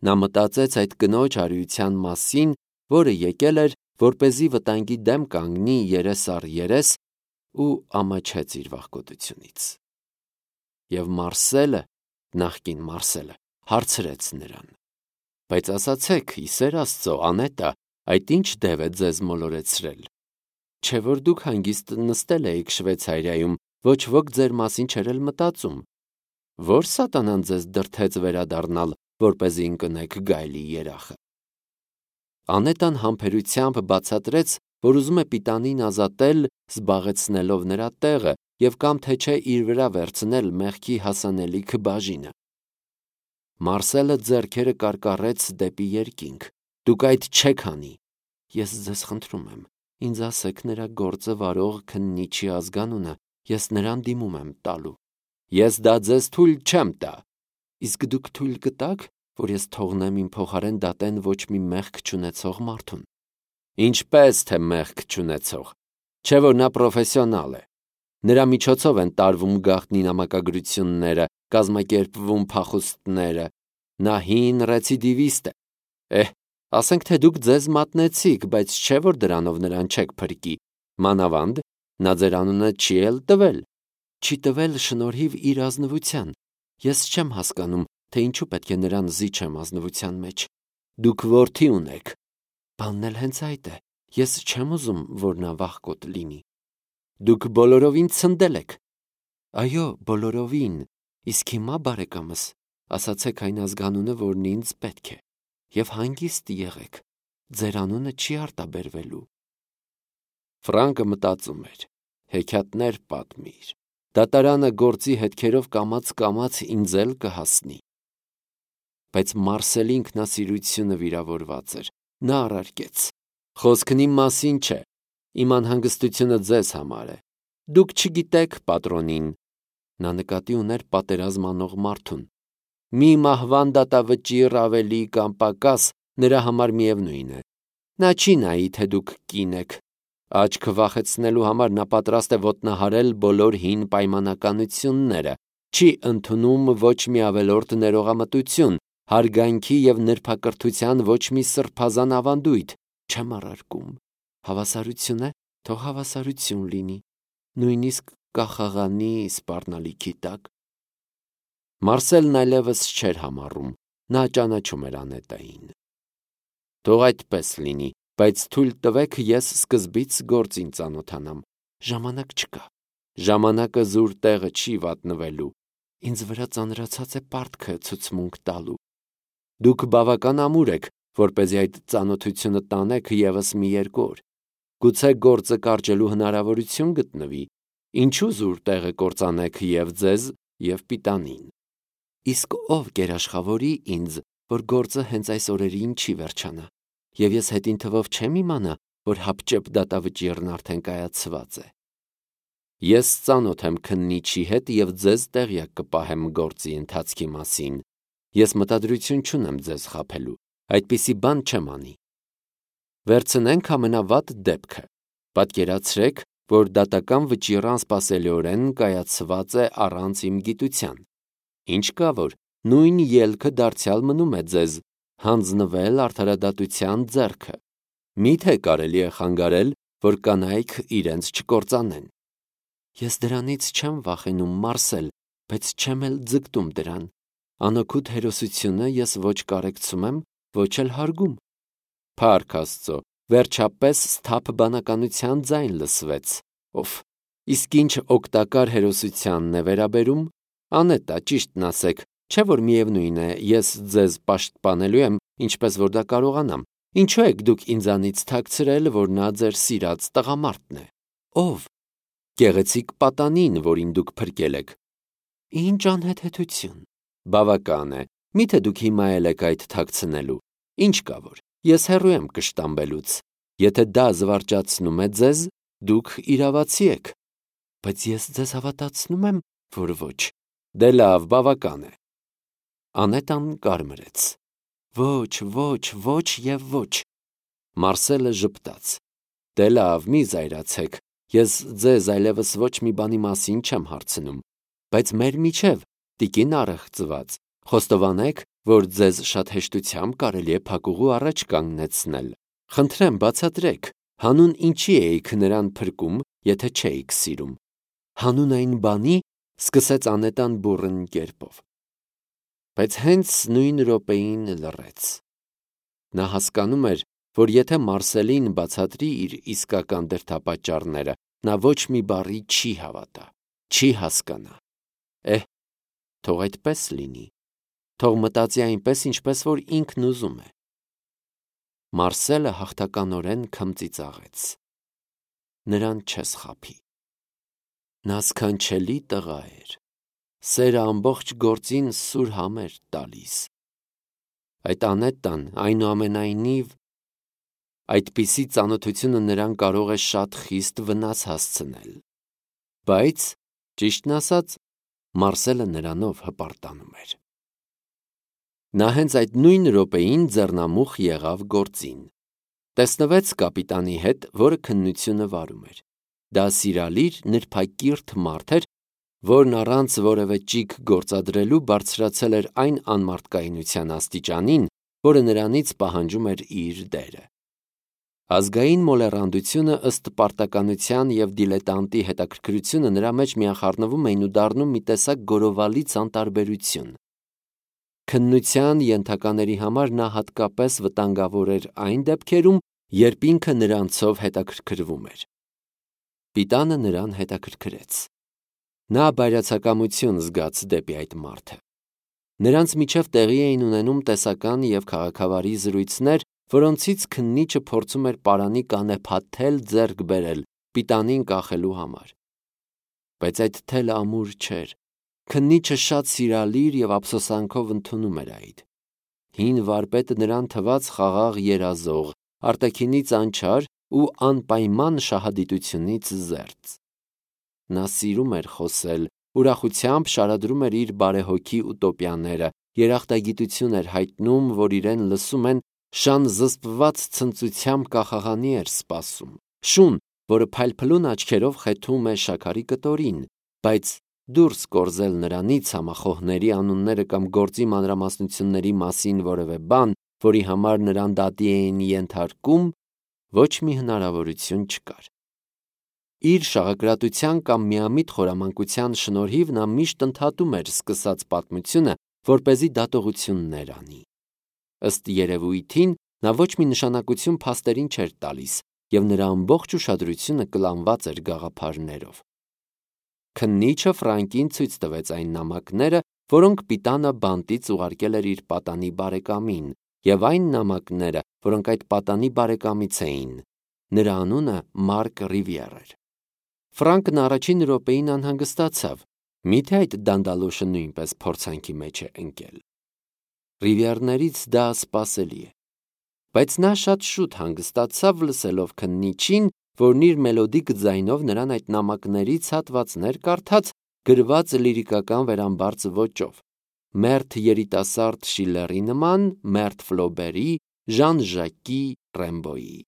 Նա մտածեց այդ կնոջ արիության մասին, որը եկել էր, որպեսզի վտանգի դեմ կանգնի երես առ երես ու ամաչեց իր վախկոտությունից։ Եվ Մարսելը, նախկին Մարսելը, հարցրեց նրան. «Բայց ասացեք, ի սեր Աստծո, Անետա, այդ ինչ դև է ձեզ մոլորեցրել։ Չէ՞ որ դուք հանգիստ նստել էիք Շվեյցարիայում, ոչ ոք ձեր մասին չէր էլ մտածում։ Ո՞ր սատանան ձեզ դրդեց վերադառնալ, որպեսզի ընկնեք գայլի երախը»։ Անետան համբերությամբ բացատրեց, որ ուզում է Պիտանին ազատել, զբաղեցնելով նրա տեղը և կամ թե չէ իր վրա վերցնել մեղքի հասանելիք բաժինը։ Մարսելը ձեռքերը կարկառեց դեպի երկինք։ «Դուք այդ չեք անի։ Ես ձեզ խնդրում եմ, ինձ ասեք նրա գործը վարող քննիչի ազգանունը, ես նրան դիմում եմ տալու»։ «Ես դա ձեզ թույլ չեմ տա»։ «Իսկ դուք թույլ կտաք, որ ես թողնեմ իմ փոխարեն դատեն ոչ մի մեղք չունեցող մարդուն»։ «Ինչպես թե մեղք չունեցող, չէ՞ որ նա պրոֆեսիոնալ է։ Նրա միջոցով են տարվում գաղտնի նամակագրությունները, կազմակերպվում փախուստները։ Նա հին ռեցիդիվիստ է։ Ասենք թե դուք ձեզ մատնեցիք, բայց չէ՞ որ դրանով նրան չեք փրկի։ Մանավանդ նա ձեր անունը չի էլ տվել։ Չի տվել շնորհիվ իր ազնվության։ Ես չեմ հասկանում, թե ինչու պետք է նրան զիջեմ ազնվության մեջ։ Դուք որդի ունեք։ Բանն էլ հենց այդ է։ Ես չեմ ուզում, որ նա վախկոտ լինի։ Դուք բոլորովին ցնդել եք։ Այո, բոլորովին։ Իսկ հիմա, բարեկամս, ասացեք այն ազգանունը, որն ինձ պետք է, և հանգիստ եղեք։ Ձեր անունը չի արտաբերվելու։ Ֆրանկը մտածում էր. հեքիաթներ պատմիր։ Դատարանը գործի հետքերով կամաց ինձ էլ կհասնի։ Բայց Մարսելի ինքնասիրությունը վիրավորված էր։ Նա առարկեց. «Խոսքն իմ մասին չէ, իմ անհանգստությունը ձեզ համար է։ Դուք չգիտեք պատրոնին»։ Նա նկատի ուներ պատերազմ անող մարդուն։ «Մի մահվան դատավճիռ ավելի կամ պակաս նրա համար միևնույն է։ Նա չի նայի, թե դուք կին եք։ Աչք վախեցնելու համար նա պատրաստ է ոտնահարել բոլոր հին պայմանականությունները, չի ընդունում ոչ մի ավելորդ ներողամտություն, հարգանքի և նրբակրթության ոչ մի սրբազան ավանդույթ։ Չեմ առարկում։ Հավասարություն է, թող հավասարություն լինի, նույնիսկ կախաղանի սպառնալիքի տակ»։ Մարսելն այլևս չէր համառում։ Նա ճանաչում էր Անետային։ «Թող այդպես լինի, բայց թույլ տվեք ես սկզբից գործին ծանոթանամ։ Ժամանակ չկա։ Ժամանակը զուր տեղը չի վատնվելու։ Ինձ վրա ծանրացած է պարտքը ցուցմունք տալու։ Դուք բավական ամուր եք, որպեսզի այդ ծանոթությունը տանեք ևս մի 2 օր։ Գուցե գործը կարճելու հնարավորություն գտնվի։ Ինչու զուր տեղը կործանեք և ձեզ, և Պիտանին։ Իսկ ով կերաշխավորի ինձ, որ գործը հենց այս օրերին չի վերջանա, և ես հետին թվով չեմ իմանա, որ հապճեպ դատավճիռն արդեն կայացված է։ Ես ծանոթ եմ քննիչի հետ և ձեզ տեղյակ կպահեմ գործի ընթացքի մասին։ Ես մտադրություն չունեմ ձեզ խաբելու, այդպիսի բան չեմ անի։ Վերցնենք ամենավատ դեպքը։ Պատկերացրեք, որ դատական վճիռը անսպասելիորեն կայացված է առանց իմ գիտության։ Ինչ կա որ, նույն ելքը դարձյալ մնում է ձեզ, հանձնվել արդարադատության ձեռքը։ Մի՞թե կարելի է խանգարել, որ կանայք իրենց չկործանեն։ Ես դրանից չեմ վախենում, Մարսել, բայց չեմ էլ ձգտում դրան։ Անօգուտ հերոսությունը ես ոչ կարեկցում եմ, ոչ էլ հարգում։ Փառք Աստծո, վերջապես սթափ բանականության ձայն լսվեց։ Իսկ ինչ օգտակար հերոսությանն է վերաբերում, Անետա, ճիշտն ասեք, չէ՞ որ միևնույն է, ես ձեզ պաշտպանելու եմ, ինչպես որ դա կարողանամ։ Ինչու եք դուք ինձանից թաքցրել, որ նա ձեր սիրած տղամարդն է։ Ով։ Գեղեցիկ պատանին, որին դուք փրկել եք։ Ինչ անհեթեթություն։ Բավական է։ Միթե դուք հիմա էլ եք այդ թաքցնելու։ Ինչ կա որ, ես հեռու եմ կշտամբելուց։ Եթե դա զվարճացնում է ձեզ, դուք իրավացի եք։ Բայց ես ձեզ հավատացնում եմ, որ ոչ։ Դե լավ, բավական է։ Անետան կարմրեց։ Ոչ և ոչ։ Մարսելը ժպտաց։ Դե լավ, մի զայրացեք։ Ես ձեզ այլևս ոչ մի բանի մասին չեմ հարցնում։ Բայց մեր միջև, տիկին առեղծված, խոստովանեք, որ ձեզ շատ հեշտությամբ կարելի է փակուղու առաջ կանգնեցնել։ Խնդրեմ, բացատրեք, հանուն ինչի էիք նրան փրկում, եթե չէիք սիրում։ Հանուն այն բանի, սկսեց անետան բուռն կերպով։ Բայց հենց նույն րոպեին լռեց։ Նա հասկանում էր, որ եթե Մարսելին բացատրի իր իսկական դրդապատճառները, նա ոչ մի բառի չի հավատա, չի հասկանա։ Թող այդպես լինի, թող մտածի այնպես, ինչպես որ ինքն ուզում է։ Մարսելը հաղթականորեն քմծիծաղեց։ Նրան չես խաբի։ Նա սքանչելի տղա էր, սերը ամբողջ գործին սուր համ էր տալիս։ Այդ անետան, այնուամենայնիվ, այդպիսի ծանոթությունը նրան կարող է շատ խիստ վնաս հասցնել։ Բայց, ճիշտն ասած, Մարսելը նրանով հպարտանում էր։ Նա հենց այդ նույն րոպեին ձեռնամուխ եղավ գործին։ Տեսնվեց կապիտանի հետ, որը քննությունը վարում էր։ Դա սիրալիր, նրբակիրթ մարդ էր, որն առանց որևէ ճիգ գործադրելու բարձրացել էր այն անմարդկայնության աստիճանին, որը նրանից պահանջում էր իր դերը։ Ազգային մոլեռանդությունը ըստ պարտականության և դիլետանտի հետաքրքրությունը նրա մեջ միախառնվում էին ու դառնում մի տեսակ գորովալից անտարբերություն։ Քննության ենթակաների համար նա հատկապես վտանգավոր էր այն դեպքերում, երբ ինքը նրանցով հետաքրքրվում էր։ Պիտանը նրան հետաքրքրեց։ Նա բայրացակամություն զգաց դեպի այդ մարդը։ Նրանց միջև տեղի էին ունենում տեսական և քաղաքավարի զրույցներ, որոնցից քննիչը փորձում էր պարանի կանեփաթել ձեռք բերել պիտանին կախելու համար։ Բայց այդ թելը ամուր չէր։ Քննիչը շատ սիրալիր և ափսոսանքով ընդունում էր այդ։ Հին վարպետը նրան թվաց խաղաղ երազող, արտաքինից անչար ու անպայման շահադիտությունից զերծ։ Նա սիրում էր խոսել, ուրախությամբ շարադրում էր իր բարեհոգի ուտոպիաները, երախտագիտություն էր հայտնում, որ իրեն լսում են, շան զսպված ցնծությամբ կախաղանի էր սպասում, շուն, որը փայլփլուն աչքերով խեթում է շաքարի կտորին, բայց դուրս կորզել նրանից համախոհների անունները կամ գործի մանրամասնությունների մասին որևէ բան, որի համար նրան դատի էին ենթարկում, ոչ մի հնարավորություն չկար։ Իր շաղակրատության կամ միամիտ խորամանկության շնորհիվ նա միշտ ընդհատում էր սկսած պատմությունը, որպեսզի դատողություններ անի։ Ըստ երևույթին, նա ոչ մի նշանակություն փաստերին չէր տալիս, և նրա ամբողջ ուշադրությունը կլանված էր գաղափարներով։ Քննիչը Ֆրանկին ցույց տվեց այն նամակները, որոնք պիտանը բանտից ուղարկել էր իր պատանի բարեկամին, և այն նամակները, որոնք այդ պատանի բարեկամից էին։ Նրա անունը Մարկ Ռիվիեր էր։ Ֆրանկն առաջին րոպեին անհանգստացավ, միթե այդ դանդալոշը նույնպես փորձանքի մեջ է ընկել։ Ռիվիերներից դա սպասելի է։ Բայց նա շատ շուտ հանգստացավ լսելով քննիչին, որն իր մելոդիկ ձայնով նրան այդ նամակներից հատվածներ կարդաց գրված լիրիկական վերամբարձ ոճով, մերթ երիտասարդ Շիլլերի նման, մերթ Ֆլոբերի, Ժան Ժակի, Ռեմբոյի։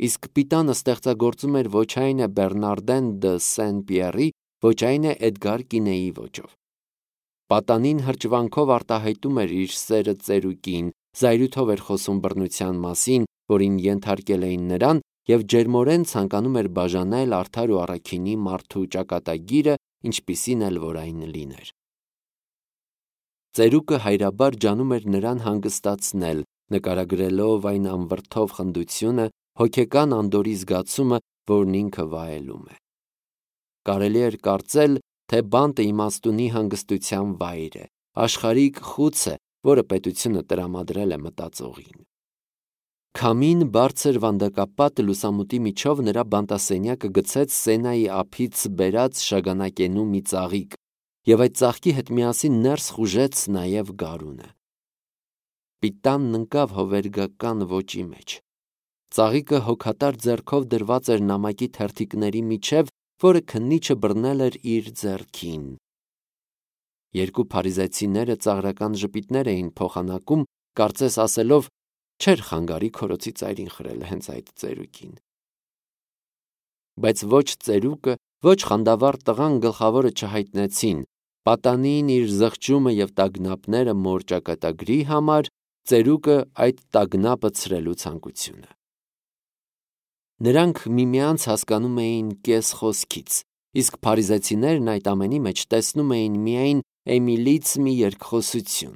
Իսկ պիտանը ստեղծագործում էր ոչ այն է Բեռնարդեն դը Սեն-Պիերի, ոչ այն է Էդգար Կինեի ոճով։ Պատանին հրճվանքով արտահայտում էր իր սերը ծերուկին, զայրույթով էր խոսում բռնության մասին, որին ենթարկել էին նրան, և ջերմորեն ցանկանում էր բաժանել արդար ու առաքինի մարդու ճակատագիրը, ինչպիսին էլ որ այն լիներ։ Ծերուկը հայրաբար ջանում էր նրան հանգստացնել, նկարագրելով այն անվրդով խնդությունը, հոգեկան անդորրի զգացումը, որն ինքը վայելում է։ Կարելի էր կարծել, թե բանտը իմաստունի հանգստության վայր է, աշխարհիկ խուցը, որը պետությունը տրամադրել է մտածողին։ Քամին բարձր վանդակապատ լուսամուտի միջով նրա բանտասենյակը գցեց Սենայի ափից բերած շագանակենու մի ծաղիկ, և այդ ծաղկի հետ միասին ներս խուժեց նաև գարունը։ Պիտանն ընկավ հովերգական ոճի մեջ։ Ծաղիկը հոգատար ձեռքով դրված էր նամակի թերթիկների միջև, որը քննիչը բռնել էր իր ձեռքին։ Երկու փարիզեցիները ծաղրական ժպիտներ էին փոխանակում, կարծես ասելով. չէր խանգարի քորոցի ծայրին խրելը հենց այդ ծերուկին։ Բայց ոչ ծերուկը, ոչ խանդավառ տղան գլխավորը չհայտնեցին, պատանին իր զղջումը և տագնապները մոր ճակատագրի համար, ծերուկը այդ տագնապը ցրելու ցանկությունը։ Նրանք միմյանց հասկանում էին կես խոսքից, իսկ փարիզեցիներն այդ ամենի մեջ տեսնում էին միայն Էմիլից մի երկխոսություն։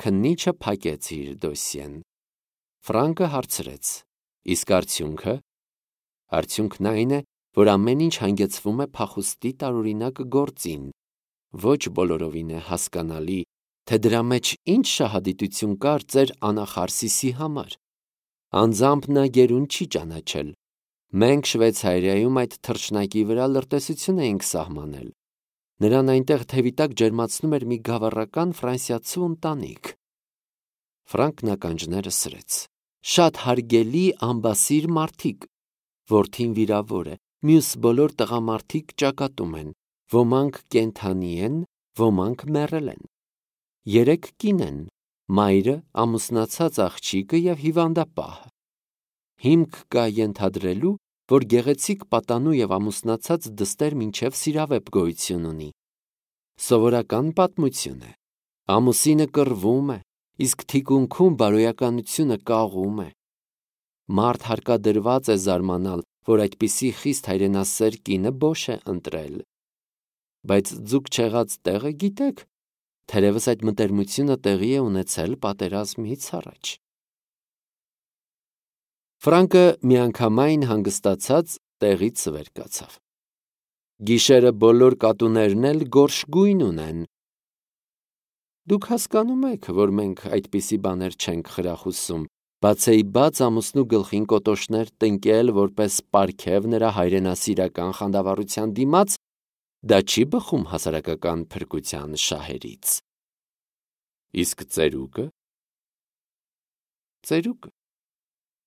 Քննիչը փակեց իր դոսիեն։ Ֆրանկը հարցրեց. իսկ արդյունքը։ Արդյունքն այն է, որ ամեն ինչ հանգեցվում է փախուստի տարօրինակ գործին։ Ոչ բոլորովին է հասկանալի, թե դրա մեջ ինչ շահադիտություն կար ձեր անախարսիսի համար։ Անձամբ նա գերուն չի ճանաչել։ Մենք Շվեյցարիայում այդ թռչնակի վրա լրտեսություն էինք սահմանել։ Նրան այնտեղ թևի տակ ջերմացնում էր մի գավառական ֆրանսիացու ընտանիք։ Ֆրանկն ականջները սրեց։ Շատ հարգելի ամբասիր մարդիկ։ Որդին վիրավոր է, մյուս բոլոր տղամարդիկ ճակատում են, ոմանք կենդանի են, ոմանք մեռել են։ 3 կին են, մայրը, ամուսնացած աղջիկը և հիվանդապահը։ Հիմք կա ենթադրելու, որ գեղեցիկ պատանու և ամուսնացած դստեր մինչև սիրավեպ գոյություն ունի։ Սովորական պատմություն է։ Ամուսինը կռվում է, իսկ թիկունքում բարոյականությունը կաղում է։ Մարդ հարկադրված է զարմանալ, որ այդպիսի խիստ հայրենասեր կինը բոշ է ընտրել։ Բայց ձուկ չեղած տեղը գիտեք, թերևս այդ մտերմությունը տեղի է ունեցել պատերազմից առաջ։ Ֆրանկը միանգամայն հանգստացած տեղից վեր կացավ։ Գիշերը բոլոր կատուներն էլ գորշ գույն ունեն։ Դուք հասկանում եք, որ մենք այդպիսի բաներ չենք խրախուսում, բացեի բաց ամուսնու գլխին կոտոշներ տնկել որպես պարգև նրա հայրենասիրական խանդավառության դիմաց, դա չի բխում հասարակական փրկության շահերից։ Իսկ ծերուկը։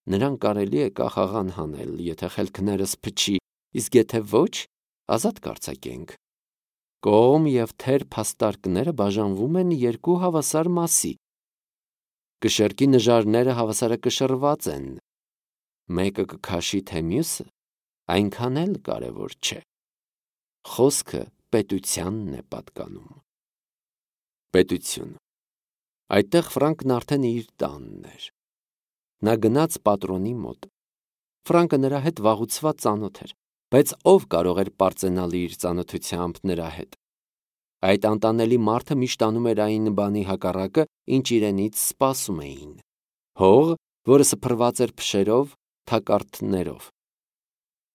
Նրան կարելի է կախաղան հանել, եթե խելքներս փչի, իսկ եթե ոչ, ազատ կարձակենք։ Կողմ և թեր փաստարկները բաժանվում են 2 հավասար մասի։ Կշեռքի նժարները հավասարակշռված են։ Մեկը կքաշի, թե մյուսը, այնքան էլ կարևոր չէ։ Խոսքը պետությանն է պատկանում։ Պետություն։ Այդտեղ Ֆրանկն արդեն իր տանն էր։ Նա գնաց պատրոնի մոտ։ Ֆրանկը նրա հետ վաղուցված ծանոթ էր, բայց ով կարող էր պարծենալ իր ծանոթությամբ նրա հետ։ Այդ անտանելի մարդը միշտ անում էր այն բանի հակառակը, ինչ իրենից սպասում էին։ Հող, որը սփռված էր փշերով, թակարդներով։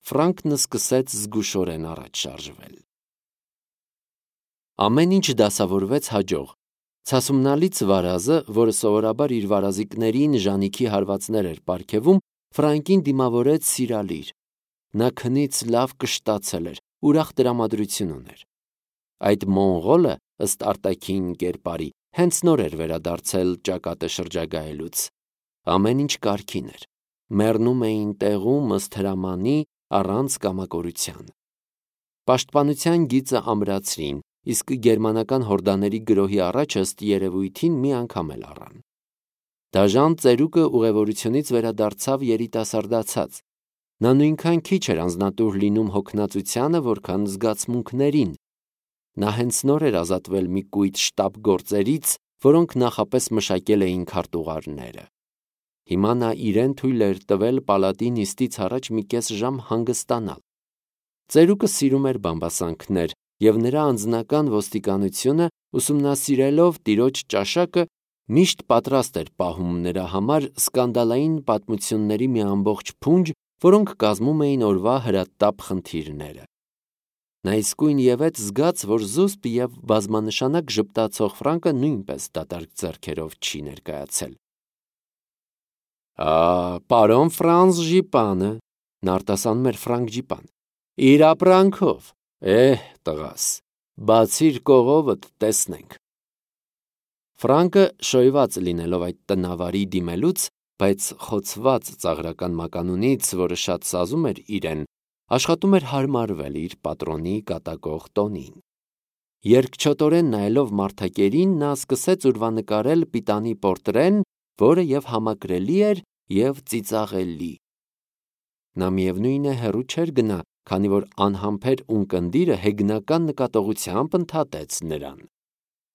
Ֆրանկն սկսեց զգուշորեն առաջ շարժվել։ Ամեն ինչ դասավորվեց հաջող։ Ցասումնալից վարազը, որը սովորաբար իր վարազիկներին ժանիքի հարվածներ էր պարգևում, Ֆրանկին դիմավորեց սիրալիր։ Նա քնից լավ կշտացել էր, ուրախ տրամադրություն ուներ։ Այդ մոնղոլը, ըստ արտաքին կերպարի, հենց նոր էր վերադարձել ճակատը շրջագայելուց։ Ամեն ինչ կարգին էր։ Մեռնում էին տեղում ըստ հրամանի, առանց կամակորության։ Պաշտպանության գիծը ամրացրին, իսկ գերմանական հորդաների գրոհի առաջ ըստ երևույթին մի անգամ էլ առան։ Դաժան ծերուկը ուղևորությունից վերադարձավ երիտասարդացած։ Նա նույնքան քիչ էր անձնատուր լինում հոգնածությանը, որքան զգացմունքներին։ Նա հենց նոր էր ազատվել մի կույտ շտապ գործերից, որոնք նախապես մշակել էին քարտուղարները։ Հիմա նա իրեն թույլ էր տվել պալատի նիստից առաջ մի կես ժամ հանգստանալ։ Ծերուկը սիրում էր բամբասանքներ, և նրա անձնական ոստիկանությունը, ուսումնասիրելով տիրոջ ճաշակը, միշտ պատրաստ էր պահում նրա համար սկանդալային պատմությունների մի ամբողջ փունջ, որոնք կազմում էին օրվա հրատապ խնդիրները։ Նա իսկույնևեթ զգաց, որ զուսպ և բազմանշանակ ժպտացող Ֆրանկը նույնպես դատարկ ձեռքերով չի ներկայացել։ Պարոն Ֆրանս Ժիպանը, նա արտասանում էր Ֆրանկ Ջիպան, իր ապրանքով, տղաս, բացիր կողովդ, տեսնենք։ Ֆրանկը, շոյված լինելով այդ տնավարի դիմելուց, բայց խոցված ծաղրական մականունից, որը շատ սազում էր իրեն, աշխատում էր հարմարվել իր պատրոնի կատակող տոնին։ Երկչոտորեն նայելով մարդակերին, նա սկսեց ուրվանկարել պիտանի պորտրեն, որը և համակրելի էր, և ծիծաղելի։ Նա միևնույն է հեռու չէր գնա քանի որ անհամբեր ունկնդիրը հեգնական նկատողությամբ ընդհատեց նրան.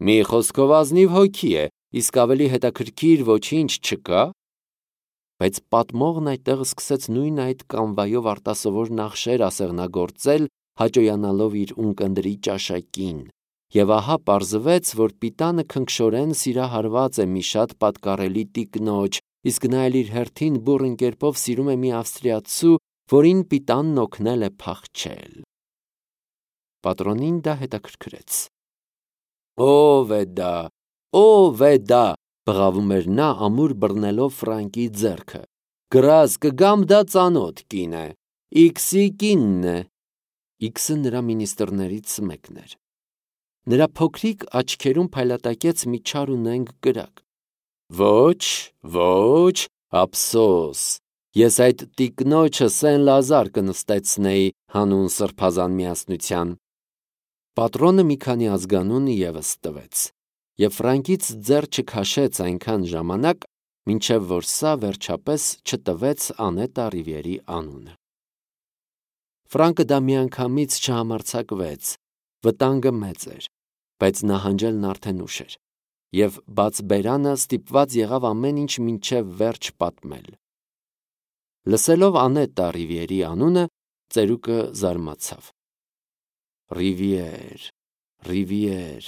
«Մի խոսքով ազնիվ հոգի է, իսկ ավելի հետաքրքիր ոչինչ չկա»։ Բայց պատմողն այդտեղ սկսեց նույն այդ կանվայով արտասովոր նախշեր ասեղնագործել, հաճոյանալով իր ունկնդրի ճաշակին, եւ ահա պարզվեց, որ Պիտանը քնքշորեն սիրահարված է մի շատ պատկառելի տիկնոջ, իսկ նա էլ իր հերթին բուռն կերպով սիրում է մի ավստրիացու, որին Պիտանն օգնել է փախչել։ Պատրոնին դա հետաքրքրեց։ «Ո՞վ է դա, ո՞վ է դա», բղավում էր նա, ամուր բռնելով Ֆրանկի ձեռքը։ «Գրազ կգամ, դա ծանոթ կին է, Իքսի կինն է»։ Իքսը նրա մինիստրներից մեկն էր։ Նրա փոքրիկ աչքերում փայլատակեց մի չար ու նենգ կրակ։ «Ոչ, ոչ, ափսոս, ես այդ տիկնոջը Սեն Լազար կնստեցնեի հանուն սրբազան միասնության»։ Պատրոնը մի քանի ազգանուն ևս տվեց, եւ Ֆրանկից ձեռ չքաշեց այնքան ժամանակ, մինչև որ սա վերջապես չտվեց Անետա Ռիվիերի անունը։ Ֆրանկը դա միանգամից չհամարձակվեց, վտանգը մեծ էր, բայց նահանջելն արդեն ուշ էր, եւ բաց բերանը ստիպված եղավ ամեն ինչ մինչև վերջ պատմել։ Լսելով Անետա Ռիվիերի անունը, ծերուկը զարմացավ։ Ռիվիեր, Ռիվիեր։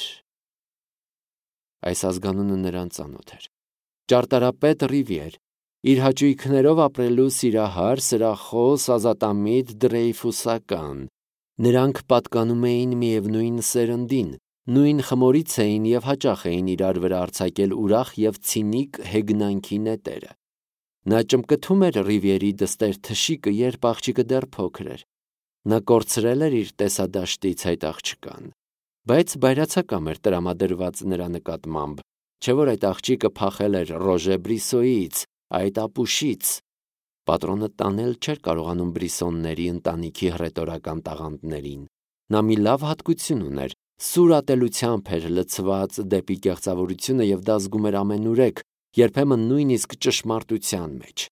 Այս ազգանունը նրան ծանոթ էր։ Ճարտարապետ Ռիվիեր, իր հաճույքներով ապրելու սիրահար, սրախոս, ազատամիտ, դրեյֆուսական։ Նրանք պատկանում էին միևնույն սերնդին, նույն խմորից էին եւ հաճախ էին իրար վրա արձակել ուրախ եւ ցինիկ հեգնանքի նետերը։ Նա ճմկթում էր Ռիվիերի դստեր թշիկը, երբ աղջիկը դեռ փոքր էր։ Նա կորցրել էր իր տեսադաշտից այդ աղջկան, բայց բայրացակամ էր տրամադրված նրա նկատմամբ, չէ՞ որ այդ աղջիկը փախել էր Ռոժե Բրիսոյից, այդ ապուշից։ Պատրոնը տանել չէր կարողանում Բրիսոնների ընտանիքի հռետորական տաղանդներին։ Նա մի լավ հատկություն ուներ, սուր ատելությամբ էր լցված դեպի կեղծավորությունը եւ դա զգում էր ամենուրեք, երբեմն նույնիսկ ճշմարտության մեջ։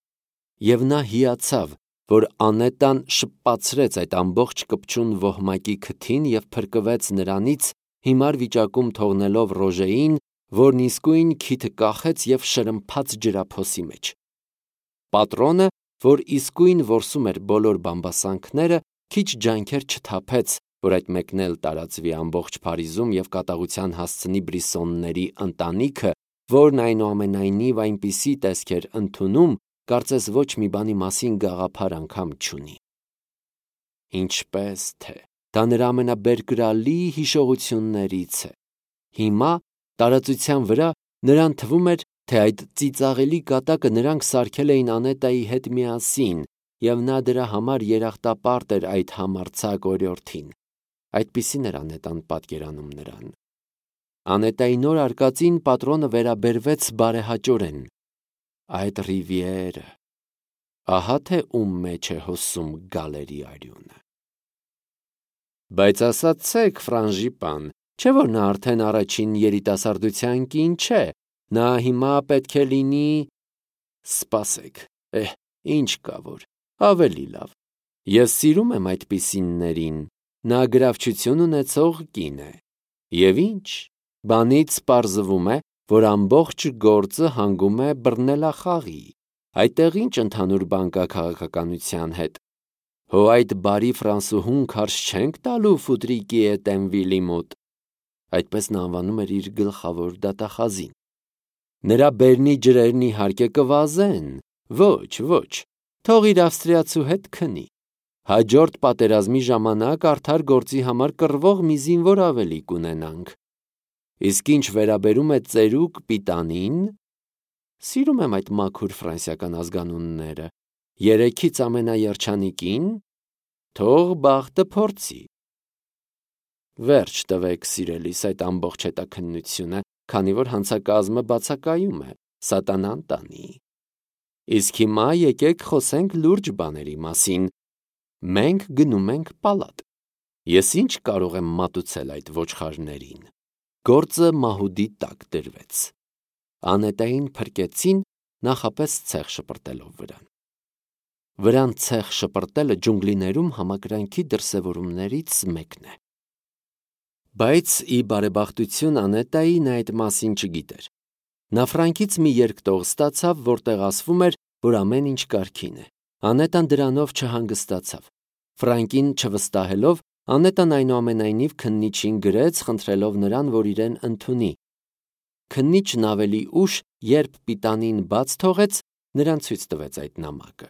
Եվ նա հիացավ, որ Անետան շպացրեց այդ ամբողջ կպչուն ոհմակի քթին եւ փրկվեց նրանից, հիմար վիճակում թողնելով Ռոժեին, որն իսկույն քիթը կախեց եւ շրմփաց ջրափոսի մեջ։ Պատրոնը, որ իսկույն որսում էր բոլոր բամբասանքները, քիչ ջանքեր չթափեց, որ այդ մեկն էլ տարածվի ամբողջ Փարիզում եւ կատաղության հասցնի Բրիսոնների ընտանիքը, որն այնուամենայնիվ այնպիսի տեսք էր ընդունում, կարծես ոչ մի բանի մասին գաղափար անգամ չունի։ Ինչպես թե դա նրա ամենաբերկրալի հիշողություններից է։ Հիմա տարածության վրա նրան թվում էր, թե այդ ծիծաղելի կատակը նրանք սարքել էին Անետայի հետ միասին, եւ նա դրա համար երախտապարտ էր այդ համարձակ օրիորդին։ Այդպիսին էր Անետան պատկերանում նրան։ Անետայի նոր արկածին պատրոնը վերաբերվեց բարեհաճորեն։ Այդ Ռիվիերը, ահա թե ում մեջ է հոսում գալերի արյունը։ Բայց ասացեք, Ֆրանժիպան, չէ՞ որ նա արդեն առաջին երիտասարդության կին չէ, նա հիմա պետք է լինի… Սպասեք, ինչ կա որ, ավելի լավ։ Ես սիրում եմ այդպիսիններին, նա գրավչություն ունեցող կին է։ Եվ ինչ, բանից պարզվում է, որ ամբողջ գործը հանգում է բռնելախաղի, այդտեղ ինչ ընդհանուր բան կա քաղաքականության հետ։ Հո այդ բարի ֆրանսուհուն քարշ չենք տալու Ֆուտրիկի Էտենվիլի մոտ։ Այդպես նա անվանում էր իր գլխավոր դատախազին։ Նրա բերնի ջրերն իհարկե կվազեն։ Ոչ, ոչ, թող իր ավստրիացու հետ քնի։ Հաջորդ պատերազմի ժամանակ արդար գործի համար կռվող մի զինվոր ավելի կունենանք։ Իսկ ինչ վերաբերում է ծերուկ Պիտանին, սիրում եմ այդ մաքուր ֆրանսիական ազգանունները, երեքից ամենաերջանիկին, թող բախտը փորձի։ Վերջ տվեք, սիրելիս, այդ ամբողջ հետաքննությունը, քանի որ հանցակազմը բացակայում է, սատանան տանի։ Իսկ հիմա եկեք խոսենք լուրջ բաների մասին։ Մենք գնում ենք պալատ։ Ես ինչ կարող եմ մատուցել այդ ոչխարներին։ Գործը մահուդի տակ դրվեց։ Անետային փրկեցին, նախապես ցեղ շպրտելով վրան։ Վրան ցեղ շպրտելը ջունգլիներում համակրանքի դրսևորումներից մեկն է։ Բայց ի բարեբախտություն Անետային այդ մասին չգիտեր։ Նա Ֆրանկից մի երկտող ստացավ, որտեղ ասվում էր, որ ամեն ինչ կարգին է։ Անետան դրանով չհանգստացավ։ Ֆրանկին չվստահելով, Անետան այնուամենայնիվ քննիչին գրեց, խնդրելով նրան, որ իրեն ընդունի։ Քննիչն ավելի ուշ, երբ Պիտանին բաց թողեց, նրան ցույց տվեց այդ նամակը։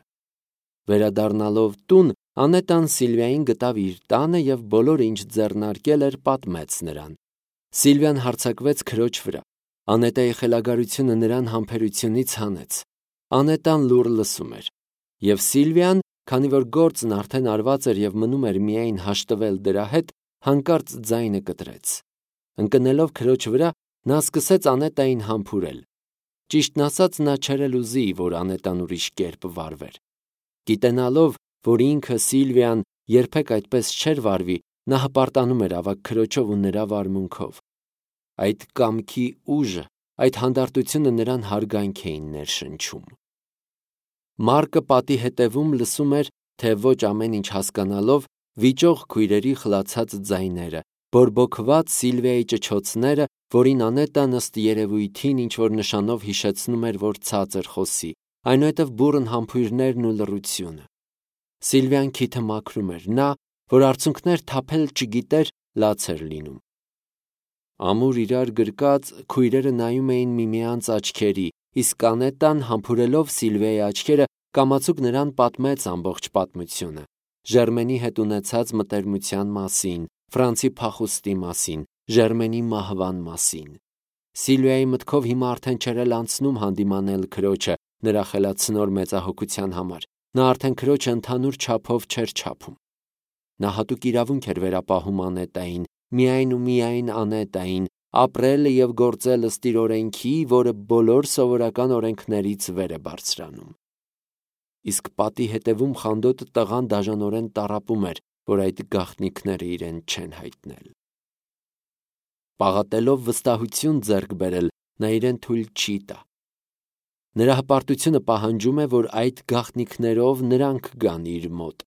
Վերադառնալով տուն, Անետան Սիլվիային գտավ իր տանը և բոլորը, ինչ ձեռնարկել էր, պատմեց նրան։ Սիլվիան հարձակվեց քրոջ վրա։ Անետայի խելագարությունը նրան համբերությունից հանեց։ Անետան լուռ լսում էր։ Եվ Սիլվիան, քանի որ գործն արդեն արված էր և մնում էր միայն հաշտվել դրա հետ, հանկարծ ձայնը կտրեց։ Ընկնելով քրոջ վրա, նա սկսեց Անետային համբուրել։ Ճիշտն ասած, նա չէր էլ ուզի, որ Անետան ուրիշ կերպ վարվեր։ Գիտենալով, որ ինքը Սիլվիան երբեք այդպես չէր վարվի, նա հպարտանում էր ավագ քրոջով ու նրա վարմունքով։ Այդ կամքի ուժը, այդ հանդարտությունը նրան հարգանք էին ներշնչում։ Մարկը պատի հետևում լսում էր, թե ոչ ամեն ինչ հասկանալով, վիճող քույրերի խլացած ձայները, բորբոքված Սիլվիայի ճչոցները, որին Անետան ըստ երևույթին ինչ-որ նշանով հիշեցնում էր, որ ցածր խոսի, այնուհետև բուռն համբույրներն ու լռությունը։ Սիլվիան քիթը մաքրում էր, նա, որ արցունքներ թափել չգիտեր, լաց էր լինում։ Ամուր իրար գրկած քույրերը նայում էին միմյանց աչքերի, իսկ Անետան, համբուրելով Սիլվիայի աչքերը, կամացուկ նրան պատմեց ամբողջ պատմությունը։ Ժերմենի հետ ունեցած մտերմության մասին, Ֆրանցի փախուստի մասին, Ժերմենի մահվան մասին։ Սիլվիայի մտքով հիմա արդեն չէր էլ անցնում հանդիմանել քրոջը նրա խելացնոր մեծահոգության համար։ Նա արդեն քրոջը ընդհանուր չափով չէր չափում։ Նա հատուկ իրավունք էր վերապահում Անետային, միայն ու միայն Անետային, ապրել և գործել ըստ իր օրենքի, որը բոլոր սովորական օրենքներից վեր է բարձրանում։ Իսկ պատի հետևում խանդոտ տղան դաժանորեն տառապում էր, որ այդ գաղտնիքները իրեն չեն հայտնել։ Պաղատելով վստահություն ձեռք բերել, նա իրեն թույլ չի տա։ Նրա հպարտությունը պահանջում է, որ այդ գաղտնիքներով նրանք գան իր մոտ։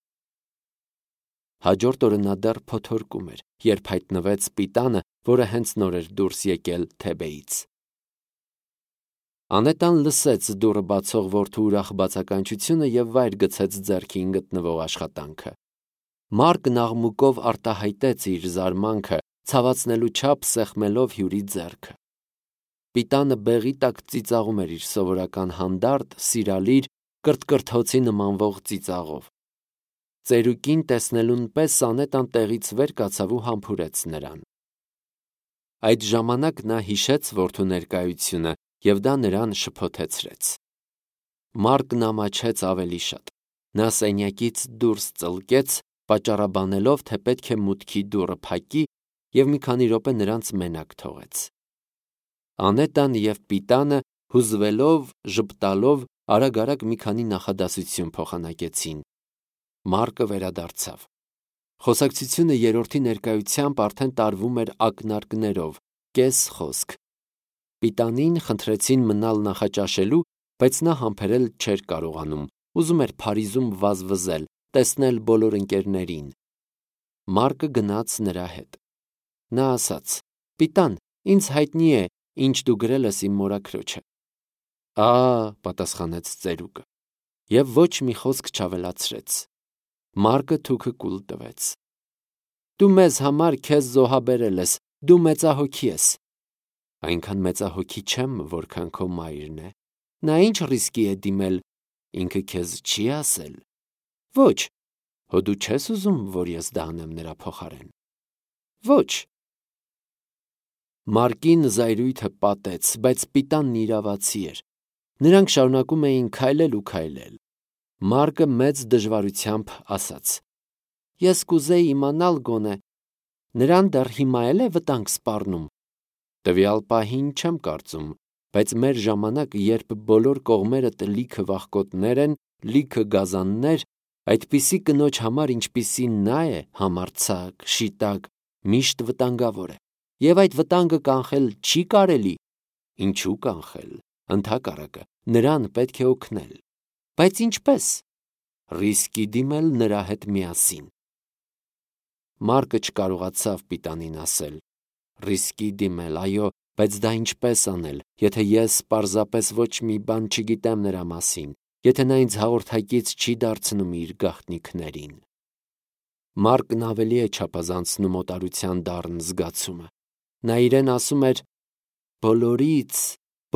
Հաջորդ օրը նա դեռ փոթորկում էր, երբ հայտնվեց Պիտանը, որը հենց նոր էր դուրս եկել Թեբեից։ Անետան լսեց դուռը բացող որդու ուրախ բացականչությունը և վայր գցեց ձեռքին գտնվող աշխատանքը։ Մարկն աղմուկով արտահայտեց իր զարմանքը, ցավացնելու չափ սեղմելով հյուրի ձեռքը։ Պիտանը բեղի տակ ծիծաղում էր իր սովորական հանդարտ, սիրալիր, կրթկրթոցի նմանվող ծիծաղով։ Ծերուկին տեսնելուն պես Անետան տեղից վեր կացավ ու համբուրեց նրան։ Այդ ժամանակ նա հիշեց որդու ներկայությունը և դա նրան շփոթեցրեց։ Մարկն ամաչեց ավելի շատ։ Նա սենյակից դուրս ծլկեց, պատճառաբանելով, թե պետք է մուտքի դուռը փակի և մի քանի րոպե նրանց մենակ թողեց։ Անետան և Պիտանը, հուզվելով, ժպտալով, արագ-արագ մի քանի նախադասություն փոխանակեցին։ Մարկը վերադարձավ։ Խոսակցությունը երրորդի ներկայությամբ արդեն տարվում էր ակնարկներով, կես խոսք։ Պիտանին խնդրեցին մնալ նախաճաշելու, բայց նա համբերել չէր կարողանում, ուզում էր Փարիզում վազվզել, տեսնել բոլոր ընկերներին։ Մարկը գնաց նրա հետ։ Նա ասաց. «Պիտան, ինձ հայտնի է, ինչ դու գրել ես իմ մորաքրոջը»։ Պատասխանեց ծերուկը և ոչ մի խոսք չավելացրեց։ Մարկը թուքը կուլ տվեց։ Դու մեզ համար քեզ զոհաբերել ես, դու մեծահոգի ես։ Այնքան մեծահոգի չեմ, որքան քո մայրն է։ Նա ինչ ռիսկի է դիմել, ինքը քեզ չի ասել։ Ոչ։ Հո դու չես ուզում, որ ես դա անեմ նրա փոխարեն։ Ոչ։ Մարկին զայրույթը պատեց, բայց Պիտանն իրավացի էր։ Նրանք շարունակում էին քայլել ու քայլել։ Մարկը մեծ դժվարությամբ ասաց. Ես կուզեի իմանալ գոնե, նրան դեռ հիմա էլ է վտանգ սպառնում։ Տվյալ պահին չեմ կարծում, բայց մեր ժամանակ, երբ բոլոր կողմերդ լիքը վախկոտներ են, լիքը գազաններ, այդպիսի կնոջ համար, ինչպիսին նա է, համարձակ, շիտակ, միշտ վտանգավոր է։ Եվ այդ վտանգը կանխել չի կարելի։ Ինչու կանխել։ Ընդհակառակը, նրան պետք է օգնել։ Բայց ինչպե՞ս։ ռիսկի դիմել նրա հետ միասին։ Մարկը չկարողացավ պիտանին ասել. «Ռիսկի դիմել, այո, բայց դա ինչպես անել, եթե ես պարզապես ոչ մի բան չգիտեմ նրա մասին, եթե նա ինձ հաղորդակից չի դարձնում իր գաղտնիքներին»։ Մարկն ավելի է չափազանցնում օտարության դառն զգացումը։ Նա իրեն ասում էր.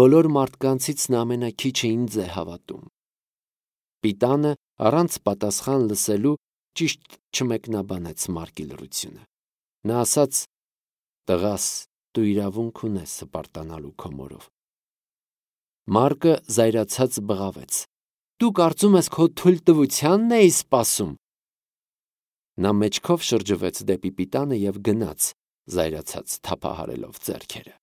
բոլոր մարդկանցից նա ամենաքիչը ինձ է հավատում։ Պիտանը առանց պատասխան լսելու ճիշտ չմեկնաբանեց Մարկի լռությունը։ Նա ասաց. «Տղաս, դու իրավունք ունես հպարտանալու քո մորով»։ Մարկը զայրացած բղավեց. «Դու կարծում ես քո թույլտվությանն էի սպասում»։ Նա մեջքով շրջվեց դեպի պիտանը և գնաց, զայրացած թափահարելով ձեռքերը։